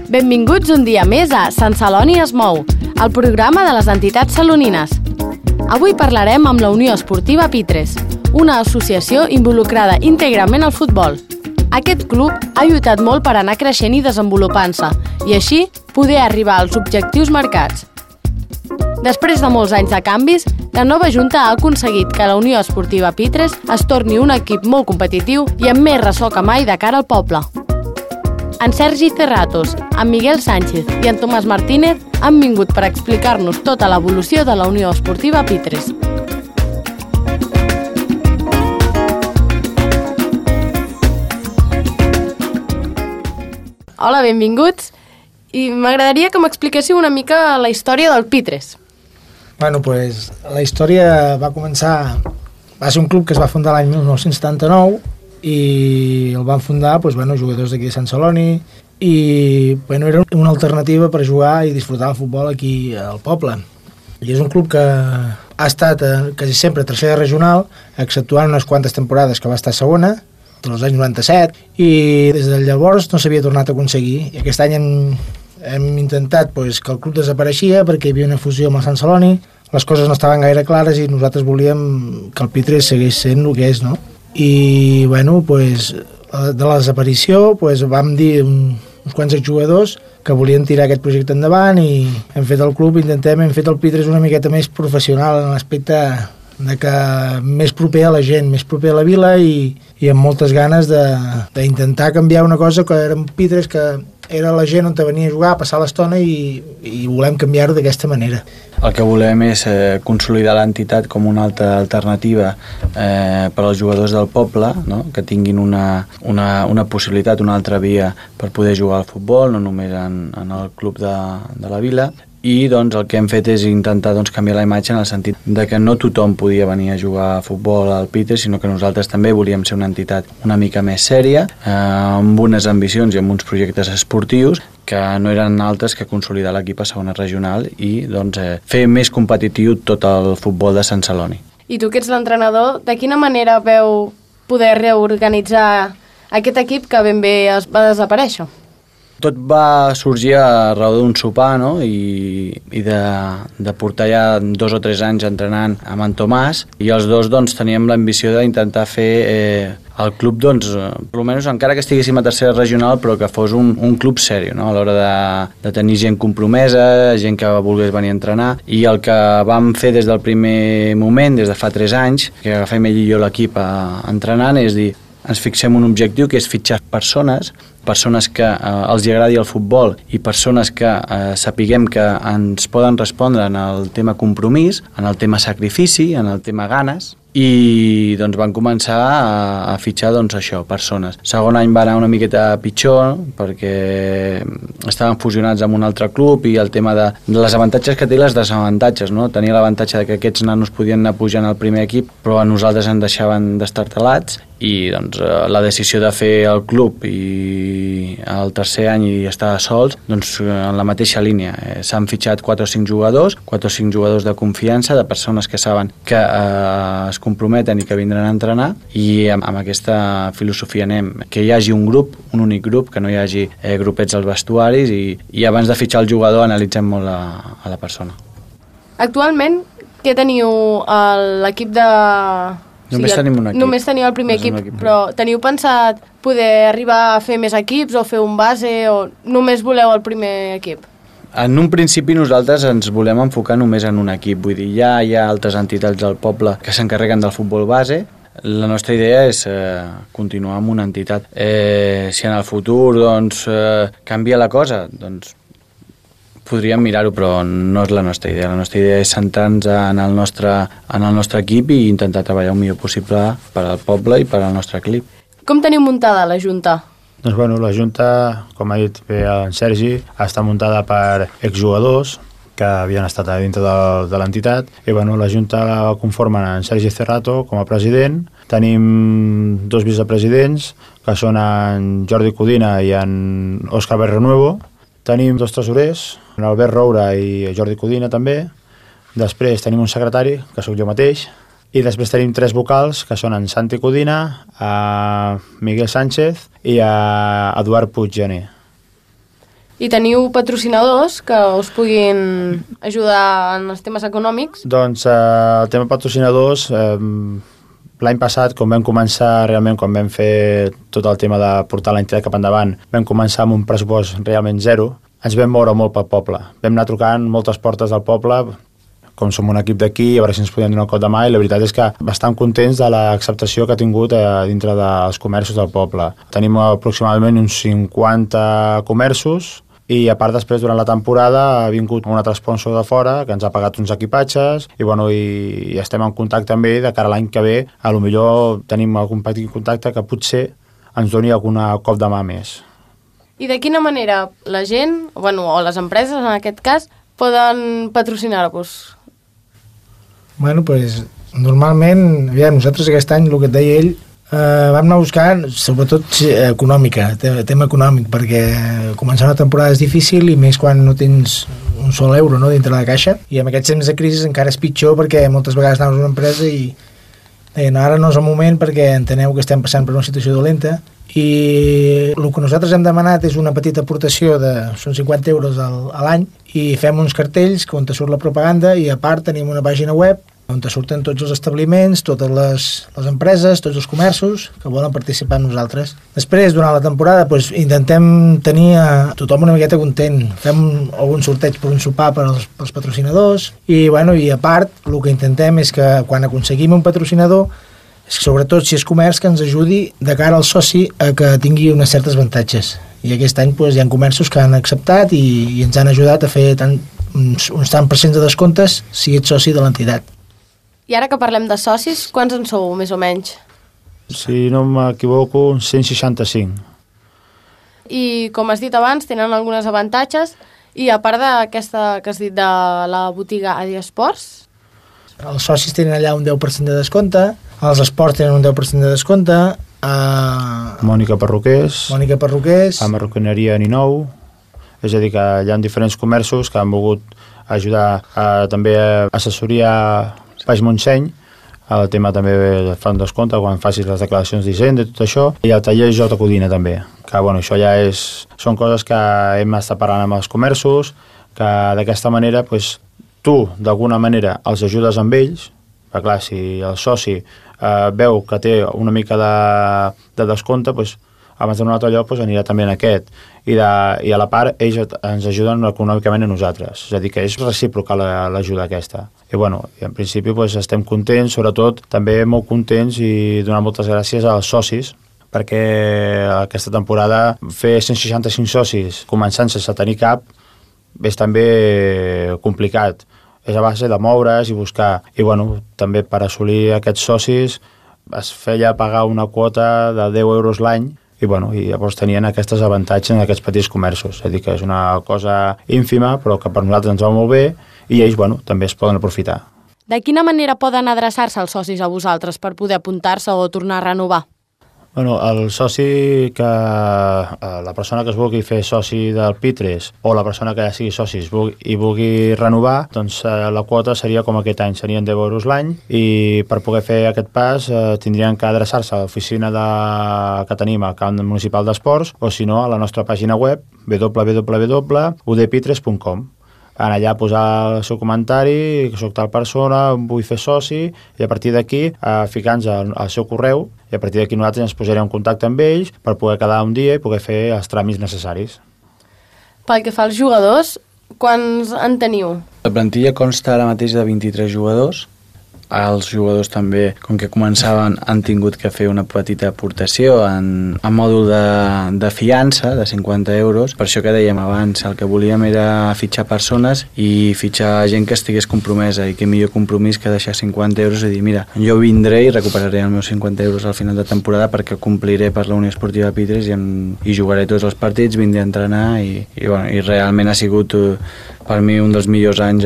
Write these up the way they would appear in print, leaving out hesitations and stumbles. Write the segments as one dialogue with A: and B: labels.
A: Benvinguts un dia més a Sant Celoni es mou, el programa de les entitats salonines. Avui parlarem amb la Unió Esportiva Pitres, una associació involucrada íntegrament al futbol. Aquest club ha lluitat molt per anar creixent i desenvolupant-se, i així poder arribar als objectius marcats. Després de molts anys de canvis, la nova Junta ha aconseguit que la Unió Esportiva Pitres es torni un equip molt competitiu i amb més ressò que mai de cara al poble. En Sergi Cerratos, en Miguel Sánchez i en Tomàs Martínez han vingut per explicar-nos tota l'evolució de la Unió Esportiva Pitres. Hola, benvinguts. I m'agradaria que m'expliquéssiu una mica la història del Pitres.
B: Bueno, pues la història va començar... Va ser un club que es va fundar l'any 1979 i el van fundar jugadors d'aquí de Sant Celoni i era una alternativa per jugar i disfrutar el futbol aquí al poble. I és un club que ha estat quasi sempre tercera regional, exceptuant unes quantes temporades que va estar segona, dels anys 97, i des de llavors no s'havia tornat a aconseguir. I aquest any hem intentat que el club desapareixia perquè hi havia una fusió amb el Sant Celoni, les coses no estaven gaire clares i nosaltres volíem que el Pitres seguís sent el que és, no? I de la desaparició vam dir uns quants exjugadors que volien tirar aquest projecte endavant i hem fet el club, hem fet el Pitres una miqueta més professional en l'aspecte de que més proper a la gent, més proper a la vila i amb moltes ganes d'intentar canviar una cosa que era un Pitres que era la gent on venia a jugar, a passar l'estona i volem canviar-ho d'aquesta manera.
C: El que volem és consolidar l'entitat com una altra alternativa per als jugadors del poble, no? Que tinguin una possibilitat, una altra via per poder jugar al futbol, no només en el club de la vila. I el que hem fet és intentar canviar la imatge en el sentit de que no tothom podia venir a jugar a futbol al Pitres, sinó que nosaltres també volíem ser una entitat una mica més sèria, amb unes ambicions i amb uns projectes esportius que no eren altres que consolidar l'equip a segona regional i fer més competitiu tot el futbol de Sant Celoni.
A: I tu, que ets l'entrenador, de quina manera veu poder reorganitzar aquest equip que ben bé va desaparèixer?
C: Tot va sorgir a raó d'un sopar, no? I de portar ja 2 o 3 anys entrenant amb en Tomàs i els dos teníem l'ambició d'intentar fer el club, almenys encara que estiguéssim a tercera regional, però que fos un club sèrio, no? A l'hora de tenir gent compromesa, gent que volgués venir a entrenar, i el que vam fer des del primer moment, des de fa 3 anys, que agafem ell i jo l'equip entrenant, és dir, ens fixem un objectiu que és fitxar persones que els agradi el futbol i persones que sapiguem que ens poden respondre en el tema compromís, en el tema sacrifici, en el tema ganes, i van començar a fitxar això, persones. Segon any va anar una miqueta pitjor perquè estaven fusionats amb un altre club i el tema de les avantatges que té i les desavantatges, no? Tenia l'avantatge que aquests nanos podien anar pujant al primer equip, però a nosaltres ens deixaven destartalats i la decisió de fer el club i el tercer any i estar sols, en la mateixa línia. S'han fitxat 4 o 5 jugadors de confiança, de persones que saben que es comprometen i que vindran a entrenar, i amb aquesta filosofia anem, que hi hagi un grup, un únic grup, que no hi hagi grupets als vestuaris i abans de fitxar el jugador analitzem molt a la persona.
A: Actualment, què teniu a l'equip de...
C: Només tenim un equip.
A: Només teniu el primer equip, però teniu pensat poder arribar a fer més equips o fer un base o només voleu el primer equip?
C: En un principi nosaltres ens volem enfocar només en un equip, vull dir, ja hi ha altres entitats del poble que s'encarreguen del futbol base. La nostra idea és continuar amb una entitat. Si en el futur canvia la cosa, podríem mirar-ho, però no és la nostra idea. La nostra idea és centrar-nos en el nostre equip i intentar treballar el millor possible per al poble i per al nostre equip.
A: Com teniu muntada la Junta?
D: La Junta, com ha dit bé en Sergi, està muntada per exjugadors que havien estat a dintre de l'entitat i la Junta la conformen en Sergi Cerrato com a president. Tenim 2 vicepresidents, que són en Jordi Codina i en Òscar Berrenuevo. Tenim 2 tresorers, en Albert Roura i Jordi Codina també. Després tenim un secretari, que sóc jo mateix. I després tenim 3 vocals, que són en Santi Codina, a Miguel Sánchez i a Eduard Puiggener.
A: I teniu patrocinadors que us puguin ajudar en els temes econòmics?
D: Doncs el tema patrocinadors, l'any passat, quan vam començar realment, quan vam fer tot el tema de portar l'entitat cap endavant, vam començar amb un pressupost realment zero. Ens vam moure molt pel poble. Vam anar trucant moltes portes del poble, com som un equip d'aquí, a veure si ens podien donar un cop de mà, i la veritat és que bastant contents de l'acceptació que ha tingut dintre dels comerços del poble. Tenim aproximadament uns 50 comerços, i a part després durant la temporada ha vingut un altre sponsor de fora que ens ha pagat uns equipatges i estem en contacte amb ell de cara a l'any que ve. A lo millor tenim algun petit contacte que potser ens doni algun cop de mà més.
A: I de quina manera la gent, o les empreses en aquest cas, poden patrocinar-vos?
B: Bueno, pues, normalment, nosaltres aquest any, el que et deia ell, vam anar buscant, sobretot econòmica, tema econòmic, perquè començar una temporada és difícil i més quan no tens un sol euro, no, dintre la caixa, i amb aquests temps de crisi encara és pitjor perquè moltes vegades anaves a una empresa i deien, ara no és el moment perquè enteneu que estem passant per una situació dolenta, i el que nosaltres hem demanat és una petita aportació són 50 euros a l'any, i fem uns cartells on te surt la propaganda, i a part tenim una pàgina web on te surten tots els establiments, totes les empreses, tots els comerços que volen participar amb nosaltres. Després, durant la temporada, intentem tenir a tothom una miqueta content. Fem algun sorteig per un sopar per als patrocinadors, i a part, el que intentem és que quan aconseguim un patrocinador, sobretot si és comerç, que ens ajudi de cara al soci a que tingui unes certes avantatges. I aquest any hi ha comerços que han acceptat i ens han ajudat a fer uns tant % de descomptes si ets soci de l'entitat.
A: I ara que parlem de socis, quants en sou, més o menys?
D: Si no m'equivoco, 165.
A: I, com has dit abans, tenen algunes avantatges, i a part d'aquesta que has dit de la botiga Adi Esports?
B: Els socis tenen allà un 10% de descompte, els esports tenen un 10% de descompte,
D: Mònica Perruquers,
B: a
D: Marroquineria Ninou, és a dir, que hi ha diferents comerços que han volgut ajudar també a assessoria Baix Montseny, el tema també fan descompte quan facis les declaracions d'Hisenda i tot això, i el taller Jota Codina també, que això ja són coses que hem estat parlant amb els comerços, que d'aquesta manera tu d'alguna manera els ajudes amb ells, perquè clar, si el soci veu que té una mica de descompte, abans d'un altre lloc anirà també en aquest, i a la part ells ens ajuden econòmicament a nosaltres, és a dir, que és recíproca l'ajuda aquesta. I en principi estem contents, sobretot també molt contents, i donar moltes gràcies als socis, perquè aquesta temporada fer 165 socis començant sense tenir cap és també complicat, és a base de moure's i buscar, i també per assolir aquests socis es feia pagar una quota de 10 euros l'any, i llavors tenien aquests avantatges en aquests petits comerços, és a dir, que és una cosa ínfima però que per nosaltres ens va molt bé, i ells també es poden aprofitar.
A: De quina manera poden adreçar-se els socis a vosaltres per poder apuntar-se o tornar a renovar?
D: El soci la persona que es vulgui fer soci del Pitres, o la persona que ja sigui soci i vulgui renovar, doncs la quota seria com aquest any, serien 10 euros l'any, i per poder fer aquest pas tindrien que adreçar-se a l'oficina que tenim al Camp Municipal d'Esports, o si no a la nostra pàgina web www.udpitres.com. En allà posar el seu comentari, que soc tal persona, vull fer soci, i a partir d'aquí ficar-nos al seu correu, i a partir d'aquí nosaltres ens posarem en contacte amb ells per poder quedar un dia i poder fer els tràmits necessaris.
A: Pel que fa als jugadors, quants en teniu?
C: La plantilla consta ara mateix de 23 jugadors. Els jugadors també, com que començaven, han tingut que fer una petita aportació en mòdul de fiança de 50 euros. Per això que dèiem abans, el que volíem era fitxar persones i fitxar gent que estigués compromesa, i que millor compromís que deixar 50 euros i dir, mira, jo vindré i recuperaré els meus 50 euros al final de temporada perquè compliré per la Unió Esportiva Pitres i jugaré tots els partits, vindré a entrenar i realment ha sigut per mi un dels millors anys,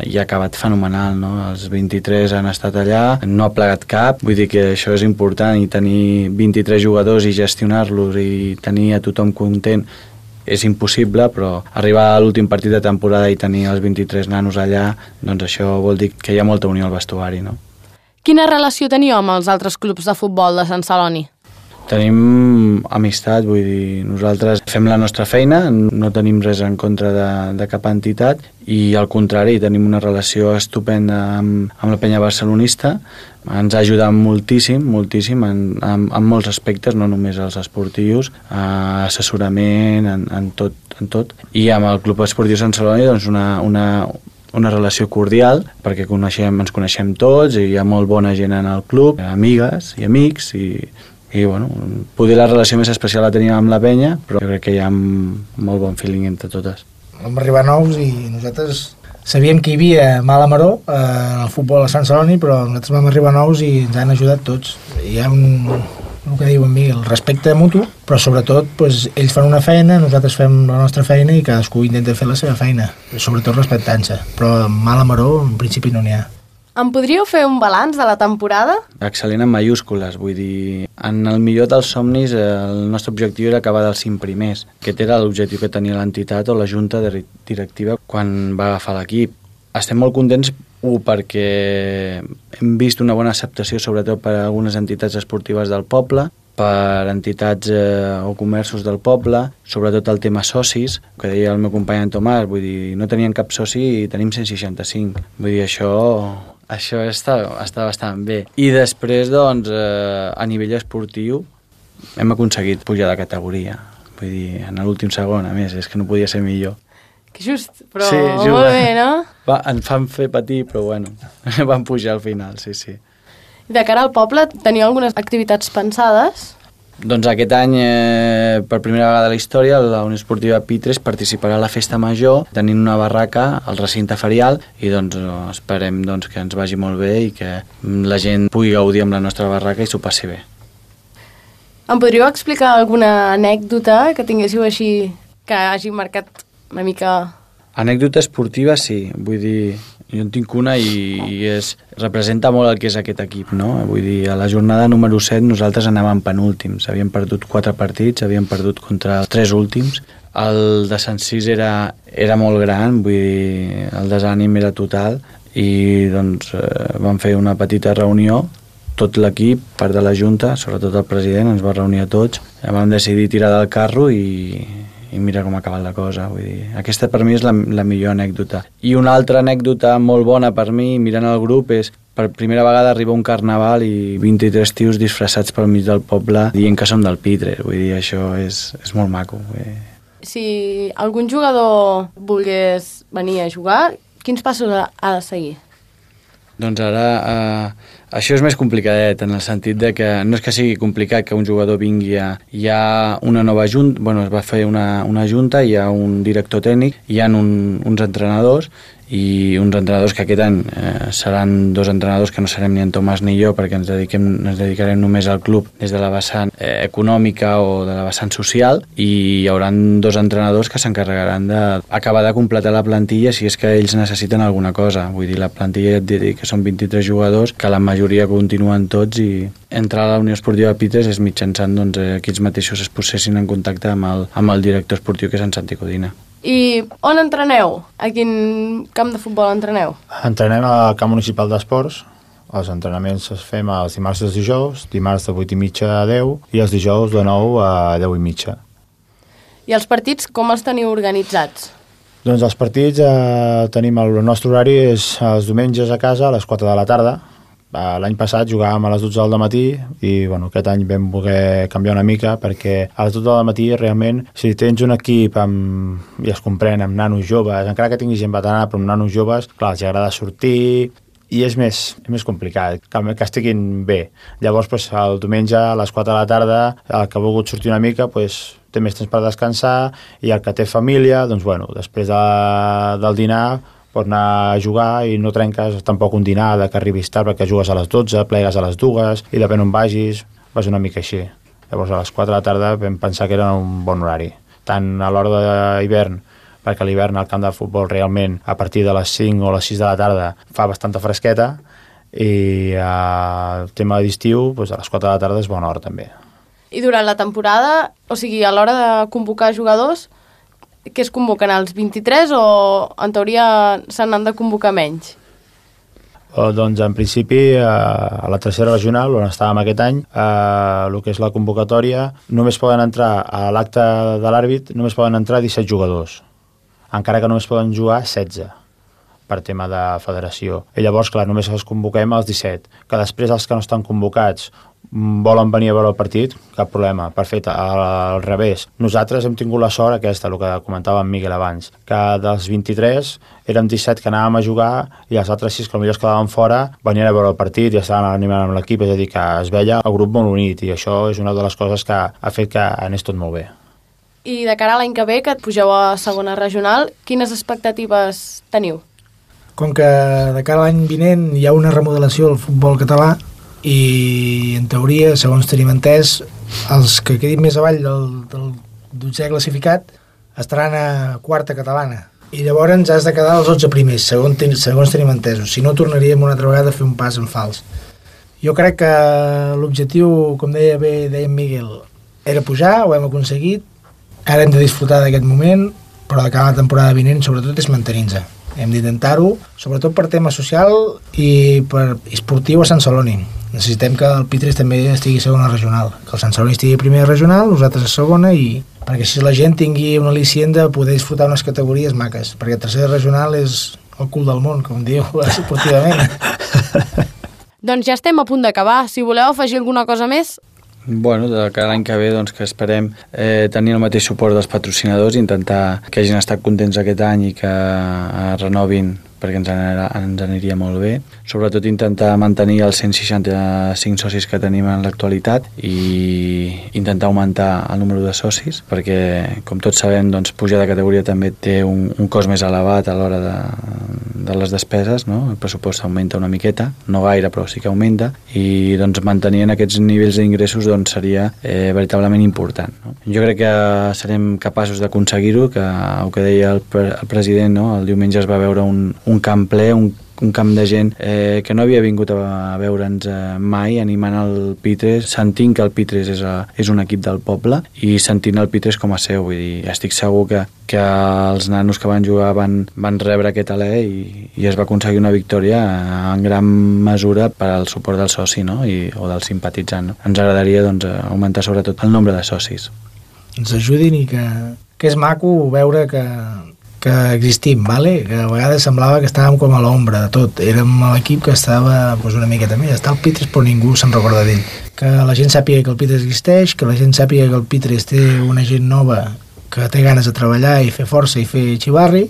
C: i ha acabat fenomenal, no? Els 23 han estat allà, no ha plegat cap, vull dir que això és important, i tenir 23 jugadors i gestionar-los i tenir a tothom content és impossible, però arribar a l'últim partit de temporada i tenir els 23 nanos allà, doncs això vol dir que hi ha molta unió al vestuari, no?
A: Quina relació teniu amb els altres clubs de futbol de Sant Celoni?
C: Tenim amistat, vull dir, nosaltres fem la nostra feina, no tenim res en contra de cap entitat i al contrari, tenim una relació estupenda amb la penya barcelonista, ens ha ajudat moltíssim en molts aspectes, no només els esportius, assessorament, en tot. I amb el Club Esportiu Sant Celoni doncs una relació cordial, perquè ens coneixem tots i hi ha molt bona gent en el club, amigues i amics i bueno, poder la relació més especial la tenim amb la penya, però jo crec que hi ha molt bon feeling entre totes.
B: Vam arribar nous i nosaltres sabíem que hi havia mala maror en el futbol a Sant Celoni, però nosaltres vam arribar nous i ens han ajudat tots. Hi ha el que diu en mi, el respecte mutu, però sobretot doncs, ells fan una feina, nosaltres fem la nostra feina i cadascú intenta fer la seva feina, sobretot respectant-se, però mala maror en principi no n'hi ha.
A: Em podríeu fer un balanç de la temporada?
C: Excel·lent en mayúscules, vull dir, en el millor dels somnis el nostre objectiu era acabar dels 5 primers. Aquest era l'objectiu que tenia l'entitat o la junta directiva quan va agafar l'equip. Estem molt contents, perquè hem vist una bona acceptació sobretot per a algunes entitats esportives del poble, per entitats o comerços del poble, sobretot el tema socis, que deia el meu company en Tomàs, vull dir, no tenien cap soci i tenim 165. Vull dir, això està bastant bé. I després, doncs, a nivell esportiu, hem aconseguit pujar de categoria. Vull dir, en l'últim segon, a més, és que no podia ser millor.
A: Que just, però sí, molt bé, no?
C: Ens fan fer patir, però bueno, vam pujar al final, sí.
A: I de cara al poble, teniu algunes activitats pensades?
C: Doncs aquest any, per primera vegada a la història, la Unió Esportiva Pitres participarà a la Festa Major, tenint una barraca al recinte ferial, i doncs esperem que ens vagi molt bé i que la gent pugui gaudir amb la nostra barraca i s'ho passi bé.
A: Em podríeu explicar alguna anècdota que tinguéssiu així, que hagi marcat una mica...
C: Anècdota esportiva, sí. Vull dir, jo en tinc una i representa molt el que és aquest equip, no? Vull dir, a la jornada número 7 nosaltres anàvem penúltims. Havíem perdut 4 partits, havíem perdut contra els 3 últims. El descensís era molt gran, vull dir, el desànim era total i doncs vam fer una petita reunió, tot l'equip, part de la Junta, sobretot el president, ens va reunir a tots. Vam decidir tirar del carro i mira com ha acabat la cosa. Vull dir, aquesta per mi és la millor anècdota. I una altra anècdota molt bona per mi, mirant el grup, és per primera vegada arriba un carnaval i 23 tios disfressats pel mig del poble dient que som del Pitres. Vull dir, això és molt maco.
A: Si algun jugador volgués venir a jugar, quins passos ha de seguir?
C: Doncs ara això és més complicadet, en el sentit de que no és que sigui complicat que un jugador vingui hi ha una nova junta, es va fer una junta, hi ha un director tècnic, hi ha uns entrenadors i uns entrenadors que aquest any seran 2 entrenadors que no serem ni en Tomàs ni jo, perquè ens dedicarem només al club des de la vessant econòmica o de la vessant social, i hi haurà 2 entrenadors que s'encarregaran d'acabar de completar la plantilla si és que ells necessiten alguna cosa. Vull dir, la plantilla ja et diré que són 23 jugadors, que la majoria continuen tots, i entrar a la Unió Esportiva Pitres és mitjançant que ells mateixos es posessin en contacte amb el director esportiu, que és en Santi Codina.
A: I on entreneu? A quin camp de futbol entreneu?
D: Entrenem al camp municipal d'esports. Els entrenaments els fem els dimarts i els dijous, dimarts de 8:30 a 10 i els dijous de 9 a 10:30.
A: I els partits com els teniu organitzats?
D: Doncs els partits tenim el nostre horari és els diumenges a casa a les 4 de la tarda. L'any passat jugàvem a les 12 del matí i aquest any vam voler canviar una mica, perquè a les 12 del matí realment, si tens un equip i es comprèn amb nanos joves, encara que tinguis gent veterana, però amb nanos joves, clar, els agrada sortir i és més complicat que estiguin bé. Llavors el diumenge a les 4 de la tarda, el que ha volgut sortir una mica té més temps per descansar, i el que té família, després del dinar pots anar a jugar i no trenques tampoc un dinar que arribis tard, perquè jugues a les 12, plegues a les 2 i depèn on vagis, vas una mica així. Llavors a les 4 de la tarda vam pensar que era un bon horari, tant a l'hora d'hivern, perquè a l'hivern al camp de futbol realment a partir de les 5 o les 6 de la tarda fa bastanta fresqueta, i el tema d'estiu a les 4 de la tarda és bona hora també.
A: I durant la temporada, o sigui, a l'hora de convocar jugadors, que es convoquen els 23 o en teoria se n'han de convocar menys?
D: Doncs en principi a la tercera regional, on estàvem aquest any, el que és la convocatòria, només poden entrar a l'acte de l'àrbit, només poden entrar 17 jugadors, encara que només poden jugar 16 per tema de federació. I llavors, clar, només els convoquem els 17, que després els que no estan convocats volen venir a veure el partit, cap problema, perfecte, al revés. Nosaltres hem tingut la sort aquesta, el que comentava en Miguel abans, que dels 23 érem 17 que anàvem a jugar i els altres 6 que potser es quedaven fora venien a veure el partit i estaven animant amb l'equip, és a dir, que es veia el grup molt unit i això és una de les coses que ha fet que anés tot molt bé.
A: I de cara a l'any que ve, que et pugeu a segona regional, quines expectatives teniu?
B: Com que de cara a l'any vinent hi ha una remodelació del futbol català i en teoria, segons tenim entès, els que quedin més avall del 12è classificat estaran a quarta catalana i llavors has de quedar als 11 primers, segons tenim entesos, si no tornaríem una altra vegada a fer un pas en fals. Jo crec que l'objectiu, com deia en Miguel, era pujar, ho hem aconseguit, ara hem de disfrutar d'aquest moment, però de cara a la temporada vinent sobretot és mantenir-nos. Hem d'intentar-ho, sobretot per tema social i per esportiu a Sant Celoni. Necessitem que el Pitres també estigui a segona regional, que el Sant Celoni estigui a primera regional, nosaltres a segona, i perquè així la gent tingui un al·licient de poder disfrutar unes categories maques, perquè la tercera regional és el cul del món, com diu esportivament.
A: Doncs ja estem a punt d'acabar. Si voleu afegir alguna cosa més...
C: Bueno, de cara a l'any que ve doncs, que esperem tenir el mateix suport dels patrocinadors, intentar que hagin estat contents aquest any i que renovin perquè ens aniria molt bé. Sobretot intentar mantenir els 165 socis que tenim en l'actualitat i intentar augmentar el número de socis perquè, com tots sabem, doncs, pujar de categoria també té un cost més elevat a l'hora de les despeses, no? El pressupost augmenta una miqueta, no gaire, però sí que augmenta, i doncs, mantenir aquests nivells d'ingressos doncs, seria veritablement important. No? Jo crec que serem capaços d'aconseguir-ho, que el que deia el president, no? El diumenge es va veure un camp ple, un camp de gent que no havia vingut a veure'ns mai, animant el Pitres, sentint que el Pitres és un equip del poble i sentint el Pitres com a seu. Vull dir, estic segur que els nanos que van jugar van rebre aquest alè i es va aconseguir una victòria en gran mesura per al suport del soci, no? O del simpatitzant. No? Ens agradaria doncs, augmentar sobretot el nombre de socis.
B: Ens ajudin i que és maco veure que existim, vale? Que a vegades semblava que estàvem com a l'ombra de tot. Érem l'equip que estava una miqueta més. Està el Pitres, però ningú se'n recorda d'ell. Que la gent sàpiga que el Pitres existeix, que la gent sàpiga que el Pitres té una gent nova que té ganes de treballar i fer força i fer xivarri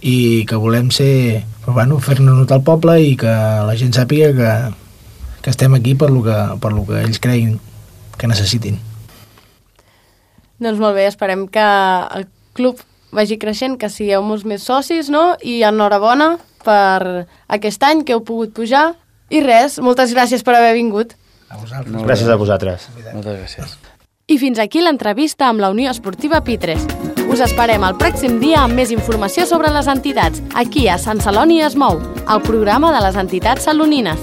B: i que volem ser, fer-ne notar al poble i que la gent sàpiga que estem aquí per lo que ells creguin que necessitin.
A: Doncs molt bé, esperem que el club vagi creixent, que sigueu molts més socis, no? I enhorabona per aquest any que heu pogut pujar. I res, moltes gràcies per haver vingut.
B: A vosaltres.
D: Gràcies a vosaltres.
C: Moltes gràcies.
A: I fins aquí l'entrevista amb la Unió Esportiva Pitres. Us esperem el pròxim dia amb més informació sobre les entitats, aquí a Sant Celoni es mou, el programa de les entitats salonines.